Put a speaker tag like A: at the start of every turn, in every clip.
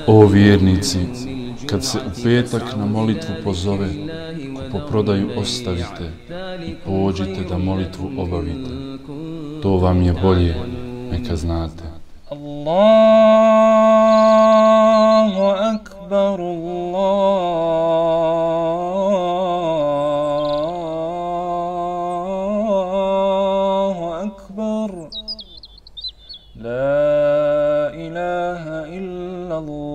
A: O vjernici, kad se u petak na molitvu pozove, kupoprodaju ostavite i pođite da molitvu obavite. To vam je bolje, neka znate.
B: Allahu akbar, Allahu akbar, la ilaha illa Allah.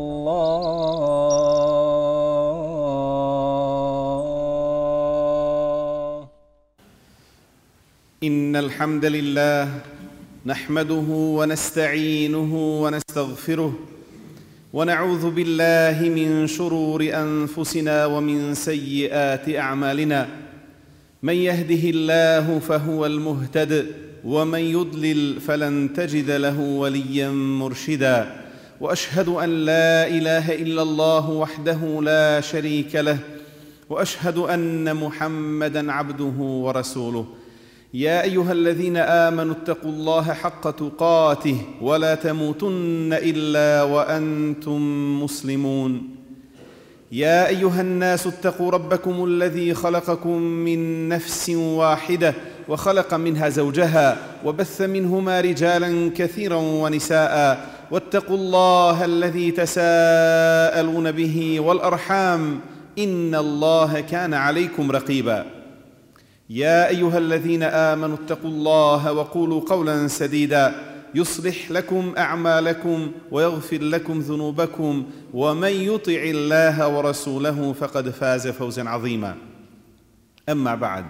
C: Innal hamdalillah نحمده ونستعينه ونستغفره ونعوذ بالله من شرور أنفسنا ومن سيئات أعمالنا من يهده الله فهو المهتد ومن يضلل فلن تجد له وليا مرشدا وأشهد أن لا إله إلا الله وحده لا شريك له وأشهد أن محمدًا عبده ورسوله يا أيها الذين آمنوا اتقوا الله حق تقاته ولا تموتن إلا وأنتم مسلمون يا أيها الناس اتقوا ربكم الذي خلقكم من نفس واحدة وخلق منها زوجها وبث منهما رجالا كثيرا ونساء واتقوا الله الذي تساءلون به والأرحام إن الله كان عليكم رقيبا يا أيها الذين آمنوا اتقوا الله وقولوا قولا سديدا يصلح لكم أعمالكم ويغفر لكم ذنوبكم ومن يطع الله ورسوله فقد فاز فوزا عظيما أما بعد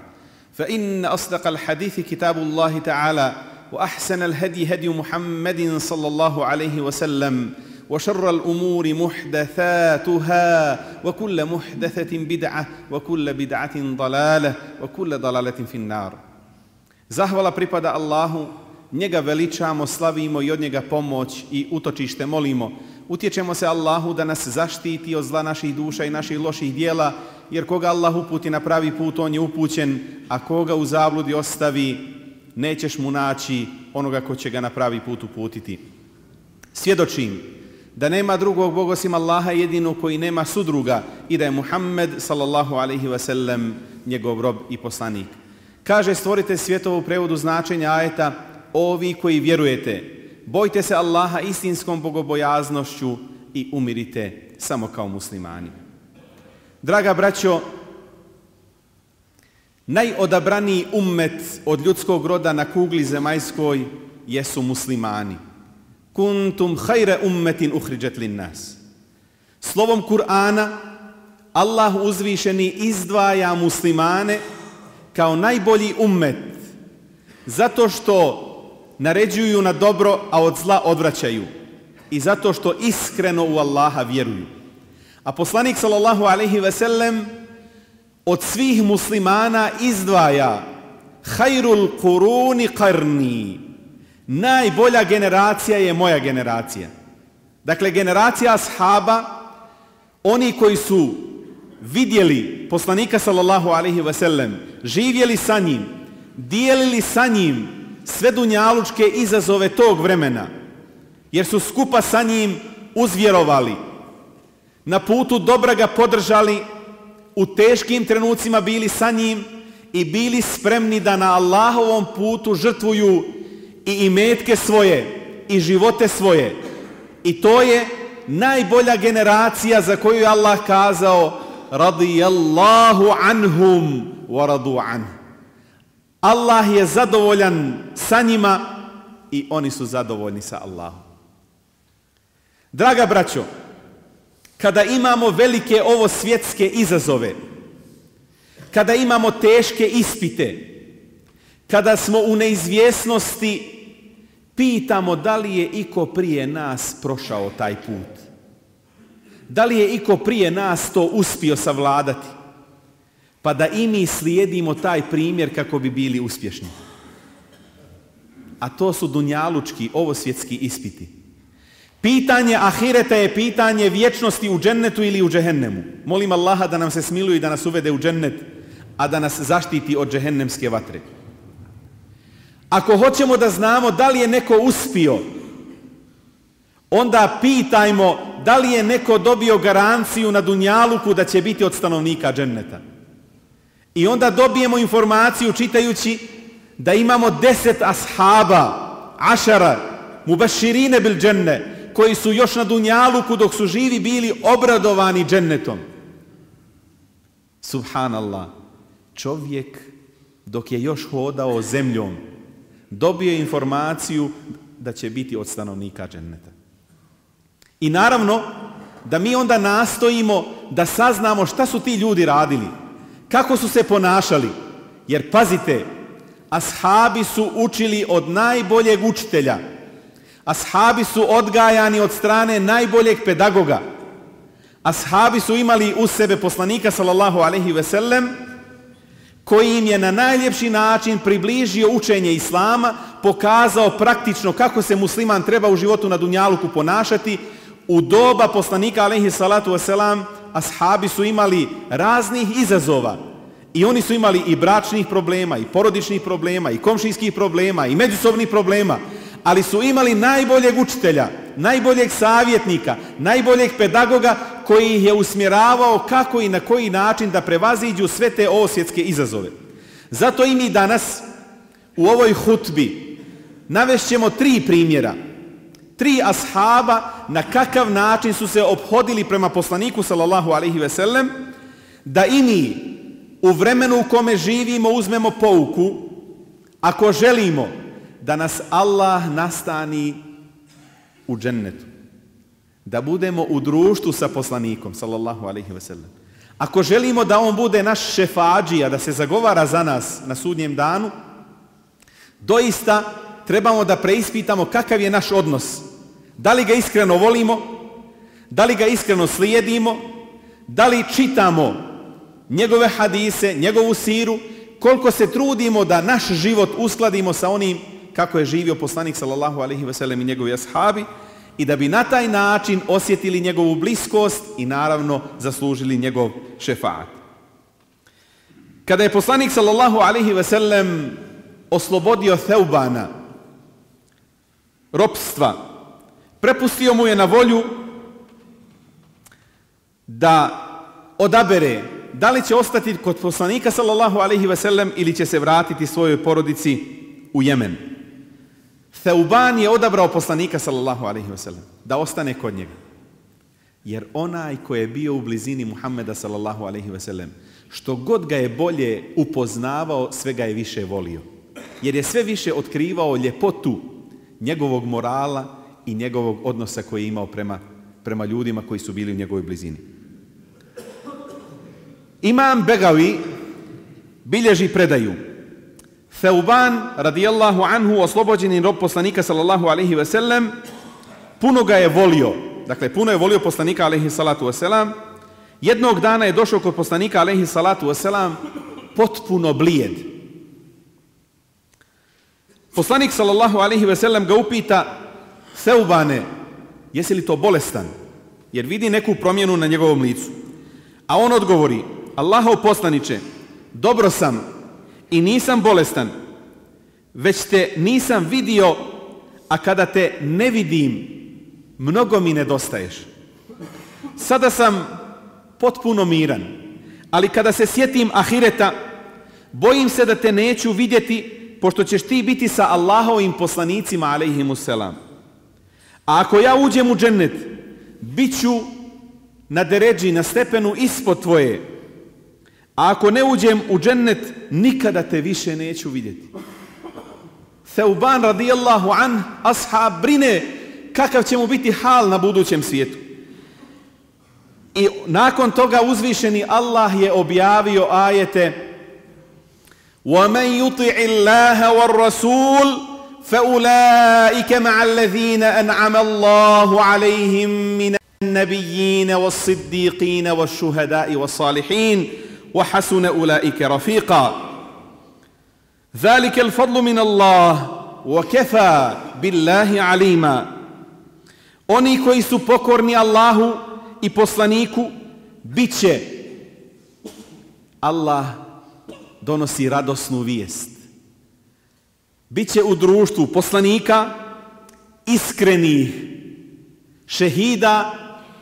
C: فإن أصدق الحديث كتاب الله تعالى وأحسن الهدي هدي محمد صلى الله عليه وسلم وشر الأمور محدثاتها وكل محدثة بدعة وكل بدعة ضلالة وكل ضلالة في النار. Zahvala pripada Allahu, njega veličamo, slavimo i od njega pomoć i utočište molimo. Utječemo se Allahu da nas zaštiti od zla naših duša i naših loših dijela, jer koga Allah uputi na pravi put, on je upućen, a koga u zabludi ostavi, nećeš mu naći onoga ko će ga na pravi put uputiti. Svjedočim da nema drugog Boga osim Allaha jedino koji nema sudruga i da je Muhammed sallallahu alejhi ve sellem njegov rob i poslanik. Kaže stvoritelj svjetova u prevodu značenja ajeta: ovi koji vjerujete, bojte se Allaha istinskom bogobojaznošću i umirite samo kao muslimani. Draga braćo, najodabraniji ummet od ljudskog roda na kugli zemaljskoj jesu muslimani. Kuntum khayra ummetin ukhrijat lin-nas. Slovom Kur'ana Allah uzvišeni izdvaja muslimane kao najbolji ummet zato što naređuju na dobro, a od zla odvraćaju, i zato što iskreno u Allaha vjeruju. A poslanik sallallahu alejhi ve sellem od svih muslimana izdvaja khairul quruni qarni. Najbolja generacija je moja generacija. Dakle, generacija ashaba, oni koji su vidjeli poslanika sallallahu alejhi ve sellem, živjeli sa njim, dijelili sa njim sve dunjalučke izazove tog vremena, jer su skupa sa njim uzvjerovali, na putu dobra ga podržali, u teškim trenucima bili sa njim i bili spremni da na Allahovom putu žrtvuju i imetke svoje i živote svoje. I to je najbolja generacija za koju je Allah kazao: radijallahu anhum wa radu an. Allah je zadovoljan sa njima i oni su zadovoljni sa Allahom. Draga braćo, kada imamo velike ovo svjetske izazove, kada imamo teške ispite, kada smo u neizvjesnosti, pitamo da li je iko prije nas prošao taj put. Da li je iko prije nas to uspio savladati? Pa da i mi slijedimo taj primjer kako bi bili uspješni. A to su dunjalučki, ovosvjetski ispiti. Pitanje ahireta je pitanje vječnosti u džennetu ili u džehennemu. Molim Allaha da nam se smiluje i da nas uvede u džennet, a da nas zaštiti od džehennemske vatre. Ako hoćemo da znamo da li je neko uspio, onda pitajmo da li je neko dobio garanciju na dunjaluku da će biti od stanovnika dženneta. I onda dobijemo informaciju čitajući da imamo 10 ashaba, ašara, mubaširine bil dženne, koji su još na dunjaluku dok su živi bili obradovani džennetom. Subhanallah, čovjek dok je još hodao zemljom dobio informaciju da će biti od stanovnika dženneta. I naravno da mi onda nastojimo da saznamo šta su ti ljudi radili, kako su se ponašali, jer pazite, ashabi su učili od najboljeg učitelja, ashabi su odgajani od strane najboljeg pedagoga, ashabi su imali uz sebe poslanika sallallahu alejhi ve sellem, koji im je na najljepši način približio učenje islama, pokazao praktično kako se musliman treba u životu na dunjaluku ponašati. U doba poslanika alejhi salatu vesselam ashabi su imali raznih izazova i oni su imali i bračnih problema, i porodičnih problema, i komšijskih problema, i međusobnih problema, ali su imali najboljeg učitelja, najboljeg savjetnika, najboljeg pedagoga koji ih je usmjeravao kako i na koji način da prevaziđu sve te svjetske izazove. Zato i mi danas u ovoj hutbi navešćemo 3 primjera, 3 ashaba na kakav način su se ophodili prema poslaniku sallallahu alejhi ve sellem, da i mi u vremenu u kome živimo uzmemo pouku, ako želimo da nas Allah nastani u džennetu, da budemo u društvu sa poslanikom sallallahu alejhi ve sellem. Ako želimo da on bude naš šefadžija, da se zagovara za nas na sudnjem danu, doista trebamo da preispitamo kakav je naš odnos. Da li ga iskreno volimo, da li ga iskreno slijedimo, da li čitamo njegove hadise, njegovu siru, koliko se trudimo da naš život uskladimo sa onim kako je živio poslanik sallallahu alejhi ve sellem i njegovi ashabi, i da bi na taj način osjetili njegovu bliskost i naravno zaslužili njegov šefaat. Kada je poslanik sallallahu alejhi ve sellem oslobodio Theubana ropstva, prepustio mu je na volju da odabere da li će ostati kod poslanika sallallahu alejhi ve sellem ili će se vratiti svojoj porodici u Jemen. Theuban je odabrao poslanika sallallahu alejhi ve sellem da ostane kod njega. Jer onaj ko je bio u blizini Muhammeda sallallahu alejhi ve sellem, što god ga je bolje upoznavao, sve ga je više volio. Jer je sve više otkrivao ljepotu njegovog morala i njegovog odnosa koji je imao prema ljudima koji su bili u njegovoj blizini. Imam Begavi bilježi predaju. Theuban radijallahu anhu, oslobođeni rob poslanika sallallahu alejhi ve sellem, puno ga je volio. Dakle, puno je volio poslanika alejhi salatu vesselam. Jednog dana je došao kod poslanika alejhi salatu vesselam potpuno blijed. Poslanik sallallahu alejhi ve sellem ga upita: Theubane, jesi li to bolestan? Jer vidi neku promjenu na njegovom licu. A on odgovori: Allahov poslaniče, dobro sam i nisam bolestan, već te nisam vidio, a kada te ne vidim, mnogo mi nedostaješ. Sada sam potpuno miran, ali kada se sjetim ahireta, bojim se da te neću vidjeti, pošto ćeš ti biti sa Allahovim poslanicima alejhimusselam. A ako ja uđem u džennet, bit ću na deređi, na stepenu ispod tvoje. A ako ne uđem u džennet, nikada te više neću vidjeti. Theuban radijallahu an, ashab, brine kakav će mu biti hal na budućem svijetu. I nakon toga uzvišeni Allah je objavio ajete: وَمَنْ يُطِعِ اللَّهَ وَالرَّسُولِ فَأُولَٰئِكَ مَعَ الَّذِينَ أَنْعَمَ اللَّهُ عَلَيْهِمْ مِنَ النَّبِيِّينَ وَالصِّدِّيقِينَ وَالشُّهَدَاءِ وَالصَّالِحِينَ وَحَسُنَ أُولَٰئِكَ رَفِيقًا ذَلِكَ الْفَضْلُ مِنَ اللَّهِ وَكَفَى بِاللَّهِ عَلِيمًا. Oni koji su pokorni Allahu i poslaniku, bit će, Allah donosi radosnu vijest, bit će u društvu poslanika, iskrenih, šehida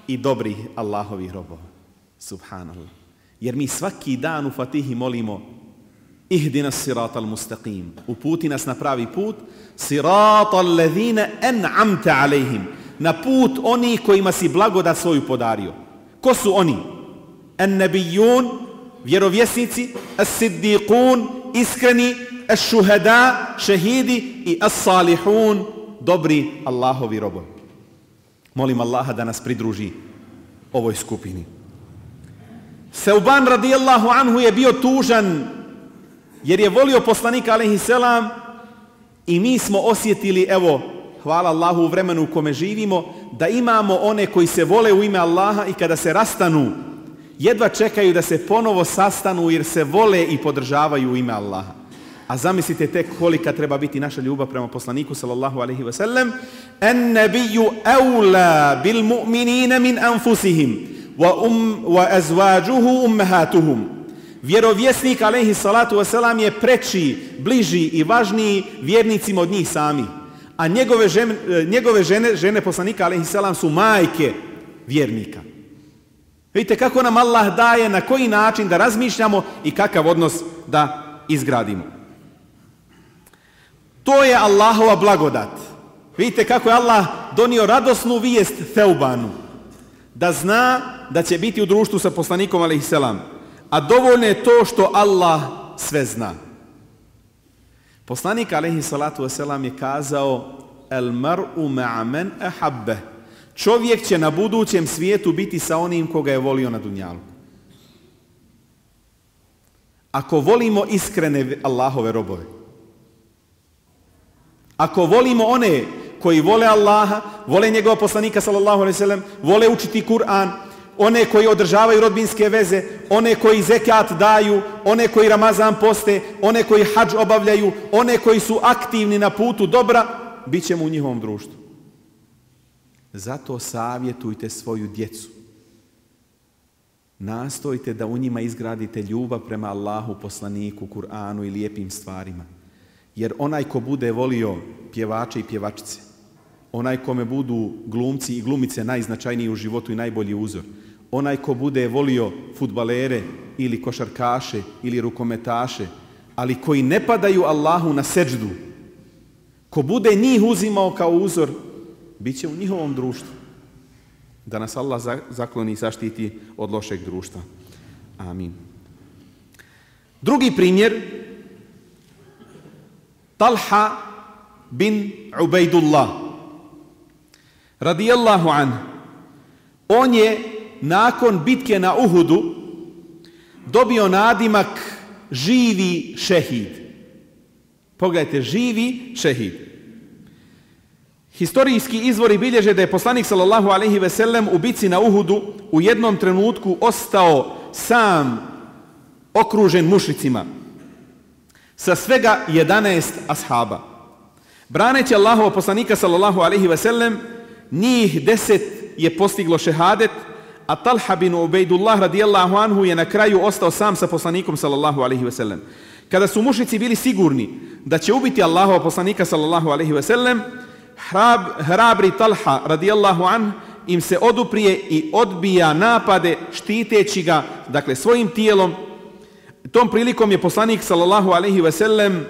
C: i dobrih Allahovih robova. Subhanallah. Jer mi svaki dan u Fatihi molimo Ihdina siratal mustaqim. Uputi nas na pravi put. Siratal ladhina an'amta alejhim. Na put oni kojima si blagodat svoju podario. Ko su oni? An-nabijun, vjerovjesnici, as-siddiqun, iskreni, as-shuhada, šehidi i as-salihun, dobri Allahovi robovi. Molim Allaha da nas pridruži ovoj skupini. Seuban radijallahu anhu je bio tužan jer je volio poslanika alejhi selam i mi smo osjetili, evo, hvala Allahu u vremenu u kome živimo, da imamo one koji se vole u ime Allaha i kada se rastanu, jedva čekaju da se ponovo sastanu jer se vole i podržavaju u ime Allaha. A zamislite tek kolika treba biti naša ljubav prema poslaniku sallallahu alejhi ve sellem. En-nabiyyu awla bil mu'minina min anfusihim wa azwajuhu ummahatuhum. Vjerovjesnik alejhi salatu vesselam je preči, bliži i važniji vjernicima od njih sami. A njegove žene poslanika alejhi selam su majke vjernika. Vidite kako nam Allah daje, na koji način da razmišljamo i kakav odnos da izgradimo. To je Allahova blagodat. Vidite kako je Allah donio radosnu vijest Seubanu. Da zna da će biti u društvu sa poslanikom alejhi selam. A dovoljno je to što Allah sve zna. Poslanik alejhi salatu vesselam je kazao: El mar'u ma'a man ahabba. Čovjek će na budućem svijetu biti sa onim koga je volio na dunjalu. Ako volimo iskrene Allahove robove, ako volimo one koji vole Allaha, vole njegova poslanika sallallahu alejhi ve sellem, vole učiti Kur'an, one koji održavaju rodbinske veze, one koji zekat daju, one koji Ramazan poste, one koji hadž obavljaju, one koji su aktivni na putu dobra, bit ćemo u njihovom društvu. Zato savjetujte svoju djecu. Nastojte da u njima izgradite ljubav prema Allahu, poslaniku, Kur'anu i lijepim stvarima. Jer onaj ko bude volio pjevače i pjevačice, onaj kome budu glumci i glumice najznačajniji u životu i najbolji uzor, onaj ko bude volio fudbalere ili košarkaše ili rukometaše, ali koji ne padaju Allahu na seđdu, ko bude njih uzimao kao uzor, bit će u njihovom društvu. Da nas Allah zakloni i zaštiti od lošeg društva. Amin. Drugi primjer, Talha bin Ubejdullah radijallahu anhu. On je nakon bitke na Uhudu dobio nadimak živi šehid. Pogledajte, živi šehid. Historijski izvori bilježe da je poslanik sallallahu alejhi ve sellem u bitci na Uhudu u jednom trenutku ostao sam, okružen mušricima, sa svega 11 ashaba. Braneći Allahova poslanika sallallahu alejhi ve sellem, njih 10 je postiglo šehadet, a Talha bin Ubejdullah radijallahu anhu je na kraju ostao sam sa poslanikom sallallahu alejhi ve sellem. Kada su mušrici bili sigurni da će ubiti Allahova poslanika sallallahu alejhi ve sellem, hrabri Talha radijallahu anhu im se oduprije i odbija napade štiteći ga, dakle, svojim tijelom. Tom prilikom je poslanik sallallahu alejhi ve sellem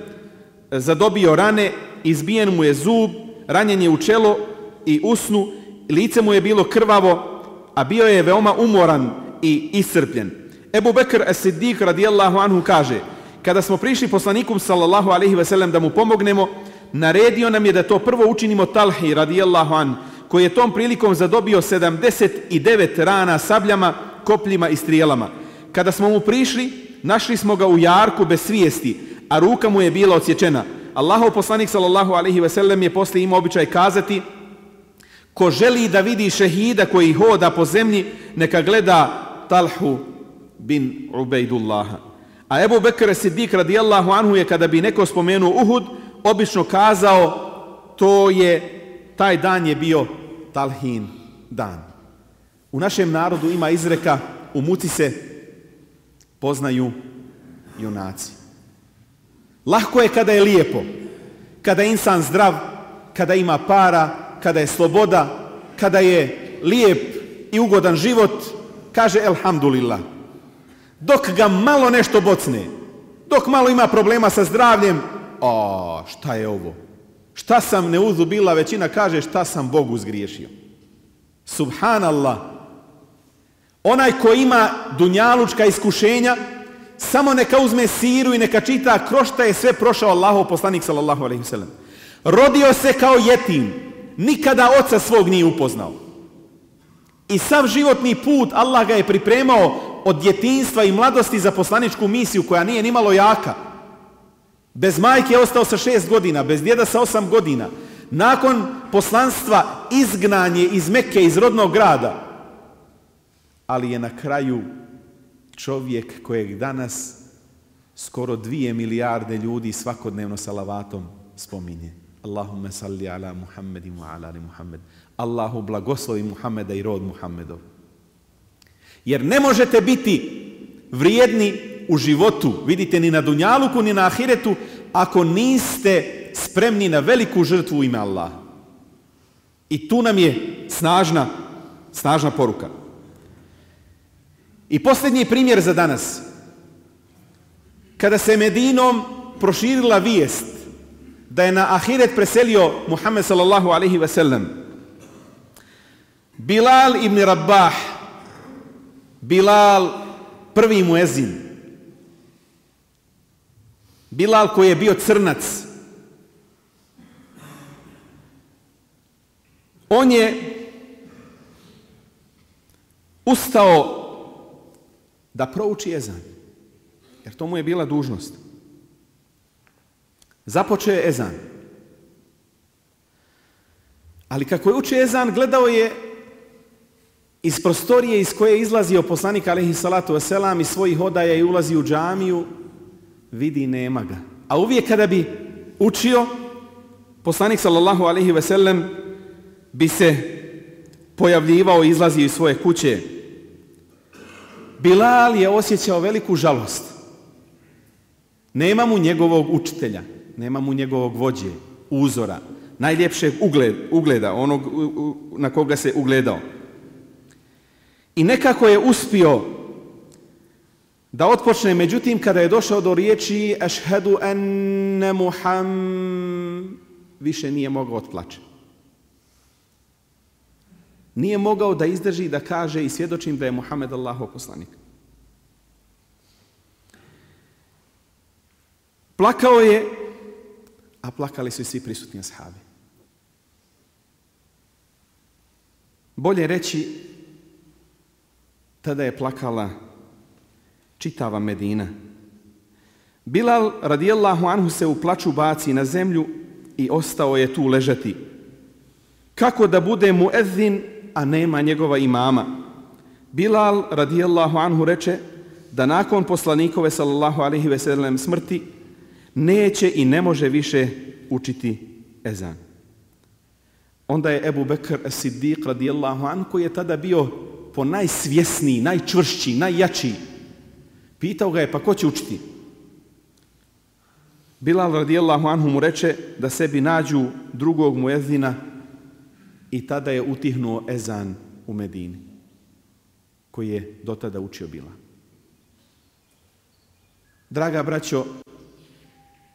C: zadobio rane, izbijen mu je zub, ranjen je u čelo i usnu, lice mu je bilo krvavo, a bio je veoma umoran i iscrpljen. Ebu Bekr as-Siddiq radijallahu anhu kaže: kada smo prišli poslaniku sallallahu alejhi ve sellem da mu pomognemo, naredio nam je da to prvo učinimo Talhi radijallahu anhu, koji je tom prilikom zadobio 79 rana sabljama, kopljima i strijelama. Kada smo mu prišli, našli smo ga u jarku bez svijesti, a ruka mu je bila odsječena. Allahov poslanik sallallahu alejhi ve sellem je poslije imao običaj kazati: ko želi da vidi šehida koji hoda po zemlji, neka gleda Talhu bin Ubejdullaha. A Ebu Bekr Siddiq radijallahu anhu je, kada bi neko spomenuo Uhud, obično kazao: taj dan je bio Talhin dan. U našem narodu ima izreka: u muci se poznaju junaci. Lahko je kada je lijepo, kada je insan zdrav, kada ima para, kada je sloboda, kada je lijep i ugodan život, kaže elhamdulillah. Dok ga malo nešto bocne, dok malo ima problema sa zdravljem, šta je ovo? Šta sam neuzubila, većina kaže šta sam Bogu zgriješio. Subhanallah. Onaj ko ima dunjalučka iskušenja, samo neka uzme siru i neka čita kroz šta je sve prošao Allahov poslanik sallallahu alejhi ve sellem. Rodio se kao jetim, nikada oca svog nije upoznao. I sav životni put Allah ga je pripremao od djetinjstva i mladosti za poslaničku misiju koja nije nimalo jaka. Bez majke je ostao sa 6 godina, bez djeda sa 8 godina. Nakon poslanstva izgnanje iz Mekke, iz rodnog grada. Ali je na kraju čovjek kojeg danas skoro 2 milijarde ljudi svakodnevno salavatom spominje. Allahumma salli ala Muhammedin wa ala ali Muhammed. Allahu blagoslovi Muhammeda i rod Muhammedov. Jer ne možete biti vrijedni u životu, vidite, ni na dunjaluku, ni na ahiretu, ako niste spremni na veliku žrtvu u ime Allaha. I tu nam je snažna poruka. I posljednji primjer za danas. Kada se Medinom proširila vijest da je na ahiret preselio Muhammed sallallahu alaihi ve sellem, Bilal ibn Rabah, Bilal prvi muezin, Bilal koji je bio crnac, on je ustao da prouči ezan, jer to mu je bila dužnost. Započeo je ezan. Ali kako je učio ezan, gledao je iz prostorije iz koje je izlazio poslanik alejhi salatu vesselam iz svojih odaja i ulazi u džamiju, vidi nema ga. A uvijek kada bi učio, poslanik sallallahu alejhi ve sellem bi se pojavljivao i izlazio iz svoje kuće. Bilal je osjećao veliku žalost. Nema mu njegovog učitelja, nema mu njegovog vođe, uzora, najljepšeg ugleda, onog na koga se ugledao. I nekako je uspio da otpočne, međutim, kada je došao do riječi ašhadu enne Muhammad, više nije mogao otplače. Nije mogao da izdrži da kaže i svjedočim da je Muhammed Allahov poslanik. Plakao je, a plakali su i svi prisutni ashabi. Bolje reći, tada je plakala čitava Medina. Bilal radijallahu anhu se u plaču baci na zemlju i ostao je tu ležati. Kako da bude muezzin, a nema njegova imama? Bilal radijallahu anhu reče da nakon poslanikove sallallahu alejhi ve sellem smrti neće i ne može više učiti ezan. Onda je Ebu Bekr as-Siddiq radijallahu anhu, koji je tada bio po najsvjesniji, najčvršći, najjači, pitao ga je, pa ko će učiti? Bilal radijallahu anhu mu reče da sebi nađu drugog muezina i tada je utihnuo ezan u Medini, koji je do tada učio Bilal. Draga braćo,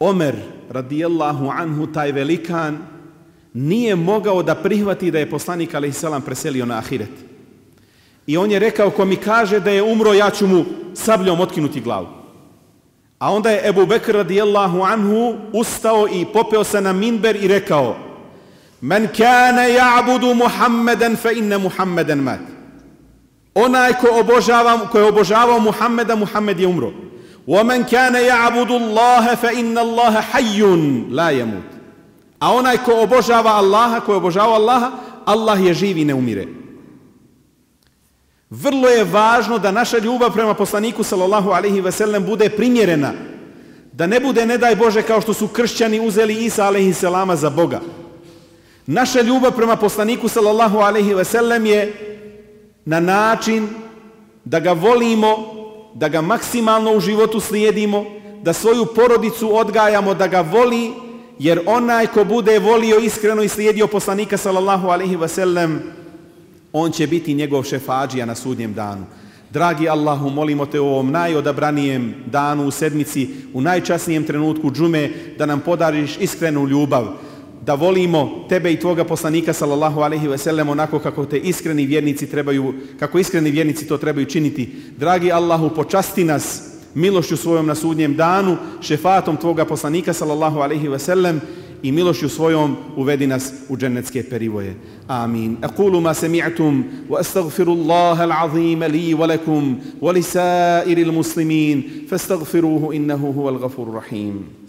C: Omer radijallahu anhu, taj velikan, nije mogao da prihvati da je poslanik alejhi selam preselio na ahiret. I on je rekao, ko mi kaže da je umro, ja ću mu sabljom otkinuti glavu. A onda je Ebu Bekr radijallahu anhu ustao i popeo se na minber i rekao: Men kana ja'budu Muhammeden fa inna Muhammeden mat. Onaj ko je obožavao Muhammeda, Muhammed je umro. وَمَنْ كَانَ يَعْبُدُ اللَّهَ فَإِنَّ اللَّهَ حَيٌّ لَا يَمُوتُ. A onaj ko obožava Allaha, ko je obožavao Allaha, Allah je živ i ne umire. Vrlo je važno da naša ljubav prema poslaniku sallallahu alejhi ve sellem bude primjerena. Da ne bude, ne daj Bože, kao što su kršćani uzeli Isa alejhi selama za Boga. Naša ljubav prema poslaniku sallallahu alejhi ve sellem je na način da ga volimo, da ga maksimalno u životu slijedimo, da svoju porodicu odgajamo da ga voli, jer onaj ko bude volio iskreno i slijedio poslanika sallallahu alejhi ve sellem, On će biti njegov šefadžija na sudnjem danu. Dragi Allahu, molimo te u ovom najodabranijem danu u sedmici, u najčasnijem trenutku džume, da nam podariš iskrenu ljubav, da volimo tebe i tvoga poslanika sallallahu alejhi ve sellem onako kako iskreni vjernici to trebaju činiti. Dragi Allahu, počasti nas milošću svojom na sudnjem danu, šefatom tvoga poslanika sallallahu alejhi ve sellem i milošću svojom uvedi nas u džennetske perivoje. Amin. Aqulu ma sami'tum wa astaghfirullaha al-azim li wa lakum wa li sa'iril muslimin fastaghfiruhu innahu huwal ghafurur rahim.